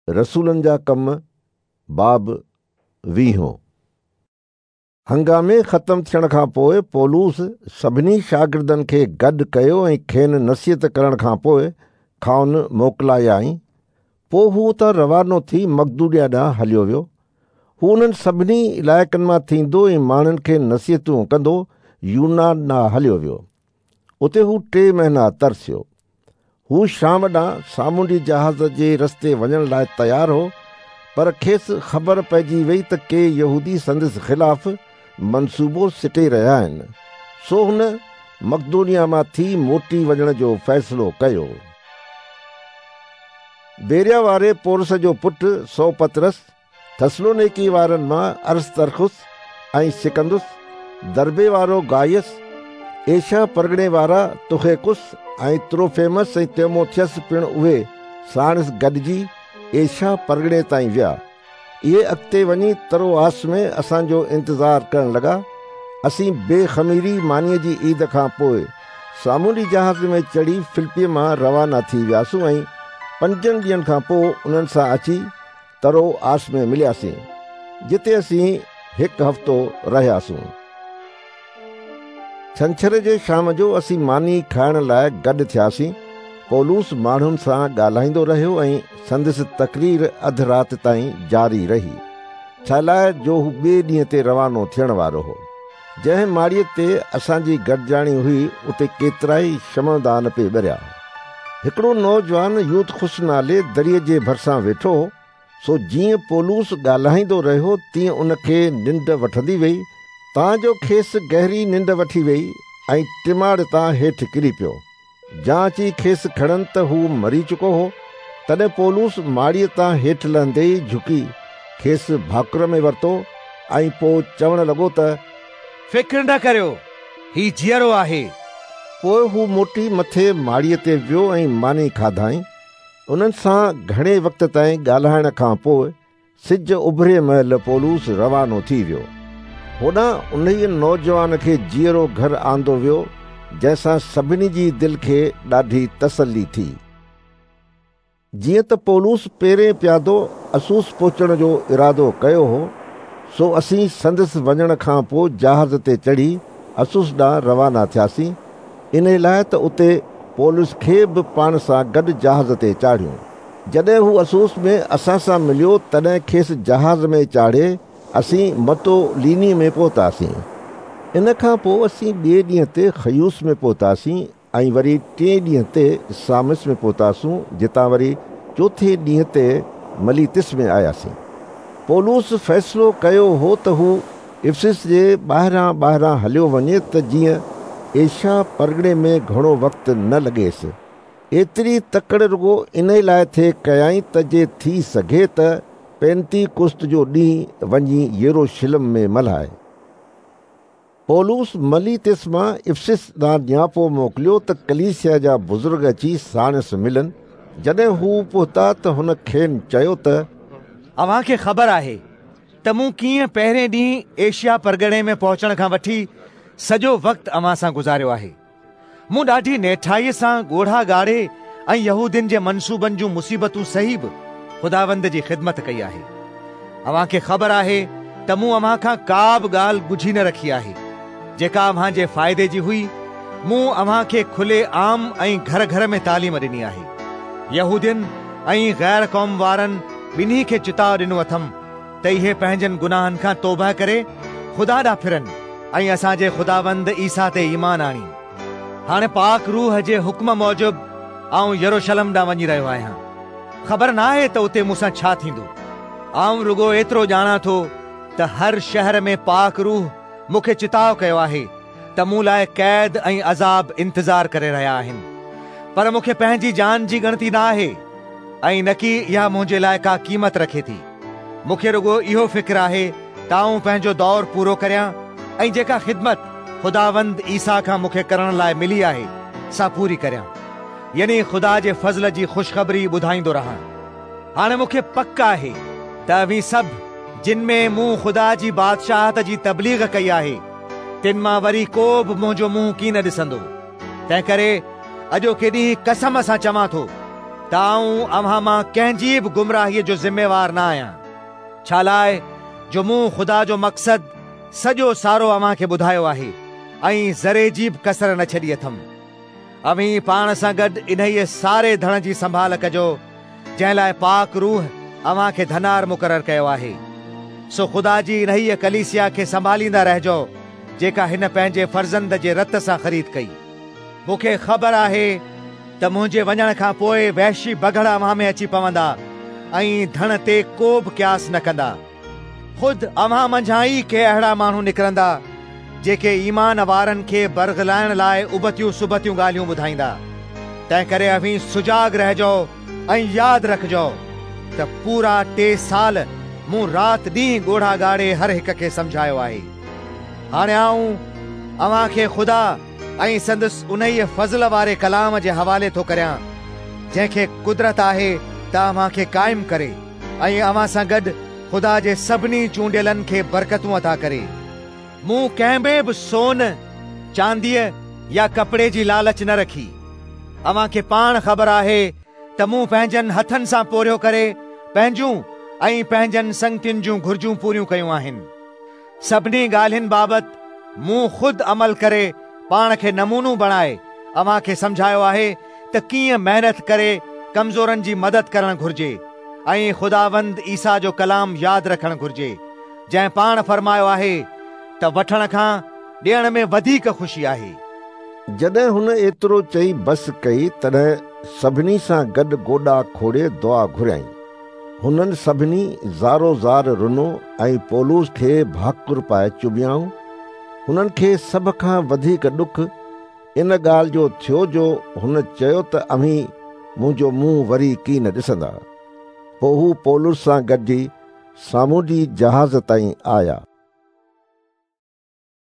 رسولن جا ڪم، باب ويهون. هنگامي ختم ٿيڻ کان پوء پولس سڀني شاگردن کي گڏ ڪيو ۽ کين نصيحت ڪرڻ کان پوء کانئن موڪلايائين. پوء هو اتان روانو ٿي مقدونيه ڏانهن هليو ويو. هو انهن سڀني علائقن مان ٿيندو ۽ ماڻهن کي نصيحتون ڪندو يونان ڏانهن هليو ويو. اتي هو ٽي مهينا ترسيو. هو شام ڏانهن سامونڊي جهاز جي رستي وڃڻ لاء تيار هو، پر کيس خبر پئجي وئي ته ڪي يهودي سندس خلاف منصوبو سٽي رهيا آهن، سو هن مقدونيه مان ٿي موٽي وڃڻ جو فيصلو ڪيو. بيريا واري پورس جو پٽ سوپترس، ٿسلونيڪي وارن مان ارسترخس ۽ سڪندس، دربي وارو گايس، ايشيا پرڳڻي وارا تخيڪس ۽ تروفيمس ۽ تيموٿيس پڻ اهي ساڻس گڏجي ايشيا پرڳڻي تائين ويا. اهي اڳتي وڃي تروآس ۾ اسان جو انتظار ڪرڻ لڳا. اسين بي خميري مانيء جي عيد کان پوء سامونڊي جهاز ۾ چڙهي فلپي مان روانا ٿي وياسون ۽ پنجن ڏينهن کان پوء انهن سان اچي تروآس ۾ ملياسين، جتي اسين هڪ هفتو رهياسون. ڇنڇر جي شام جو اسين ماني کائڻ لاء گڏ ٿياسين. پولس ماڻهن سان ڳالهائيندو رهيو ۽ سندس تقرير اڌ رات تائين جاري رهي، ڇالاء جو هو ٻئي ڏينهن تي روانو ٿيڻ وارو هو. جنهن ماڙيء تي اسان جي گڏجاڻي هئي، اتي ڪيترائي شمعدان پئي ٻريا. هڪڙو نوجوان يوتخس نالي دريء جي ڀرسان ويٺو هو، سو جيئن پولس ڳالهائيندو رهيو تيئن ان کي ننڊ وٺندي ويئي، تان جو کيس گهري ننڊ وٺي ويئي ۽ ٽماڙ تان هيٺ ڪري پيو. جا اچي کيس کڻن ته هو مري چڪو هو. تڏهن پولس ماڙيء تان هيٺ لهندي ئي جهڪي کيس ڀاڪر ۾ ورتو ۽ پوء چوڻ لڳو ته. فڪر نه ڪريو، هي جيئرو آهي. پوء هو موٽي مٿي ماڙيء تي ويو ۽ ماني کاڌائين. انهن سان گهڻي وقت تائين ڳالهائڻ کان پوء سج اڀري مهل پولس روانو ٿي ويو. هوڏانهن انهيء نوجوان کي جيئرو گهر آندو ويو، جنهن سان سڀني جي دل کي ڏاڍي تسلي ٿي. جيئن ته پولس پيرين پيادو اسوس پهچڻ جو ارادو ڪيو هو، سو اسين سندس وڃڻ کان پوء جهاز تي چڙهي اسوس ڏانهن روانا ٿياسين، انهيء لاء ته اتي پولس کي به پاڻ سان گڏ جهاز تي چاڙهيون. جڏهن هو اسوس ۾ اسان سان مليو، تڏهن کيس جهاز ۾ چاڙهي اسين متوليني ۾ پهتاسين. ان کان پوء اسين ٻئي ڏينهن تي خيوس ۾ پهتاسين ۽ وري ٽئين ڏينهن تي سامس ۾ پهتاسون، جتان وري چوٿين ڏينهن تي مليتس ۾ آياسين. پولس فيصلو ڪيو هو ته هو افسس جي ٻاهران ٻاهران هليو وڃي ته جيئن ايشيا پرڳڻي ۾ گهڻو وقت نه لڳيس. ايتري تڪڙ رڳو انهي لاء ٿي ڪيائين ته جي ٿي سگهي ته پينتيڪست جو ڏينهن وڃي يروشلم ۾ ملهائي. پولس مليتس مان افسس ڏانهن نياپو موڪليو ته ڪليسيا جا بزرگ اچي ساڻس ملن. جڏهن هو پهتا ته هن کين چيو ته. اوهان کي خبر آهي ته مون ڪيئن پهرين ڏينهن ايشيا پرڳڻي ۾ پهچڻ کان وٺي سڄو وقت اوهان سان گذاريو آهي. مون ڏاڍي نهٺائيء سان ڳوڙها ڳاڙي ۽ يهودين جي منصوبن جون مصيبتون سهي به خداوند جي خدمت ڪئي آهي. اوهان کي خبر آهي ته مون اوهان کان ڪا به ڳالهه ڳجهي نه رکي آهي، جيڪا اوهان جي فائدي جي هئي. مون اوهان کي کلي عام ۽ گهر گهر ۾ تعليم ڏني آهي. يهودين ۽ غير قوم وارن ٻنهي کي چتاء ڏنو اٿم ته اهي پنهنجن گناهن کان توبهه ڪري خدا ڏانهن ڦرن ۽ اسان جي خداوند عيسيٰ تي ايمان آڻين. هاڻي پاڪ روح جي حڪم موجب آئون يروشلم ڏانهن وڃي رهيو آهيان. خبر ناهي ته اتي مون سان ڇا ٿيندو. آئون رڳو ايترو ڄاڻان ٿو ته هر شهر ۾ پاڪ روح مون کي چتاء ڪيو آهي ته مون لاء قيد ۽ عذاب انتظار ڪري رهيا آهن. پر مون کي پنهنجي جان جي ڳڻتي نه آهي ۽ نڪي اها منهنجي لاء ڪا قيمت رکي ٿي. مون کي رڳو اهو فڪر آهي ته آئون پنهنجو دور پورو ڪريان ۽ جيڪا خدمت خداوند عيسيٰ کان مون کي ڪرڻ لاء ملي آهي، سا پوري ڪريان، يعني خدا جي فضل جي خوشخبري ٻڌائيندو رهان. هاڻي مون کي پڪ آهي ته اوهين سڀ، جن ۾ مون خدا جي بادشاهت جي تبليغ ڪئي آهي، تن مان وري ڪو به منهنجو منهن ڪين ڏسندو. تنهنڪري اڄوڪي ڏينهن قسم سان چوان ٿو ته ته آئون اوهان مان ڪنهن جي به گمراهيء جو ذميوار نه آهيان، ڇالاء جو مون خدا جو مقصد سڄو سارو اوهان کي ٻڌايو آهي ۽ ذري جي به ڪسر نه ڇڏي اٿم. اوهين پاڻ سان گڏ انهيء ساري ڌڻ جي سنڀال ڪجو، جنهن لاء پاڪ روح اوهان کي ڌنار مقرر ڪيو آهي. سو خدا جي انهيء ڪليسيا کي سنڀاليندا رهجو، جيڪا هن پنهنجي فرزند جي رت سان خريد ڪئي. مون کي خبر آهي ته منهنجي وڃڻ کان پوء وحشي بگهڙ اوهان ۾ اچي پوندا ۽ ڌڻ تي ڪو به قياس نه ڪندا. خود اوهان منجهان ئي ڪي اهڙا ماڻهو نڪرندا، جيڪي ايمان وارن کي برغلائڻ لاء ابتيون سبتيون ڳالهيون ٻڌائيندا. تنهنڪري اوهين سجاڳ رهجو ۽ ياد رکجو ته پورا 3 سال مون رات ڏينهن ڳوڙها ڳاڙي هر هڪ کي سمجهايو آهي. هاڻي آئون اوهان کي خدا ۽ سندس انهيء فضل واري ڪلام جي حوالي ٿو ڪريان، جنهن کي قدرت آهي ته اوهان کي قائم ڪري ۽ اوهان سان گڏ خدا جي سڀني چونڊيلن کي برڪتون عطا ڪري. مون ڪنهن ۾ به سون، چانديء يا ڪپڙي جي لالچ نه رکي. اوهان کي پاڻ خبر آهي ته مون پنهنجن هٿن سان پورهيو ڪري پنهنجون ۽ پنهنجن سنگتين جون گهرجون پوريون ڪيون آهن. سڀني ڳالهين بابت مون خود عمل ڪري پاڻ کي نمونو بڻائي اوهان کي سمجهايو آهي ته ڪيئن محنت ڪري ڪمزورن جي مدد ڪرڻ گهرجي ۽ خداوند عيسيٰ جو ڪلام ياد رکڻ گهرجي، جنهن پاڻ فرمايو آهي ته وٺڻ کان ڏيڻ ۾ وڌيڪ خوشي آهي. جڏهن هن ايترو چئي بس ڪئي، تڏهن سڀني سان گڏ گوڏا کوڙي دعا گهريائين. هنن سڀني زارو زار رنو ۽ پولس کي ڀاڪر پائي چميائون. هنن کي سڀ کان وڌيڪ ڏک ان ڳالهه جو ٿيو جو هن چيو ته اوهين منهنجو منهن وري ڪين ڏسندا. پوء هو پولس سان گڏجي سامونڊي جهاز تائين آيا.